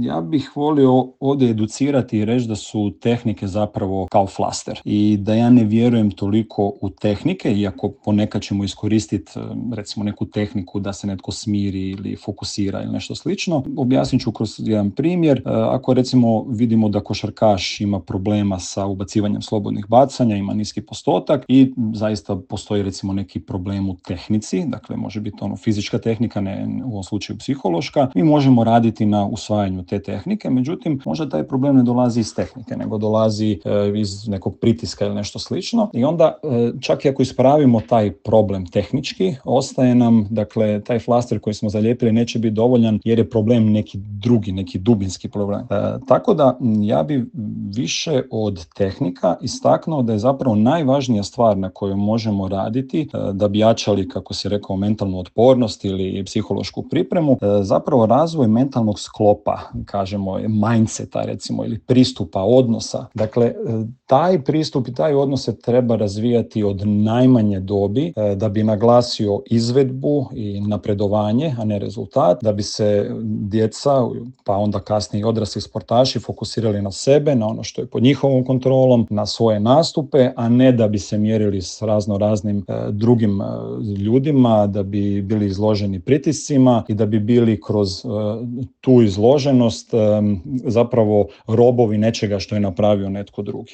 Ja bih volio ovdje educirati i reći da su tehnike zapravo kao flaster i da ja ne vjerujem toliko u tehnike, iako ponekad ćemo iskoristiti recimo neku tehniku da se netko smiri ili fokusira ili nešto slično. Objasnit ću kroz jedan primjer. Ako recimo vidimo da košarkaš ima problema sa ubacivanjem slobodnih bacanja, ima niski postotak i zaista postoji recimo neki problem u tehnici, dakle može biti fizička tehnika, ne u ovom slučaju psihološka, mi možemo raditi na usvajanju te tehnike, međutim možda taj problem ne dolazi iz tehnike, nego dolazi iz nekog pritiska ili nešto slično i onda čak i ako ispravimo taj problem tehnički, ostaje nam, dakle, taj flaster koji smo zalijepili neće biti dovoljan jer je problem neki drugi, neki dubinski problem. Tako da ja bi više od tehnika istaknuo da je zapravo najvažnija stvar na kojoj možemo raditi da bi jačali, kako si rekao, mentalnu otpornost ili psihološku pripremu, zapravo razvoj mentalnog sklopa, kažemo mindseta recimo, ili pristupa, odnosa. Dakle, taj pristup i taj odnos se treba razvijati od najmanje dobi da bi naglasio izvedbu i napredovanje, a ne rezultat, da bi se djeca, pa onda kasnije i odrasli sportaši fokusirali na sebe, na ono što je pod njihovom kontrolom, na svoje nastupe, a ne da bi se mjerili s raznim drugim ljudima, da bi bili izloženi pritiscima i da bi bili kroz tu izloženost zapravo robovi nečega što je napravio netko drugi.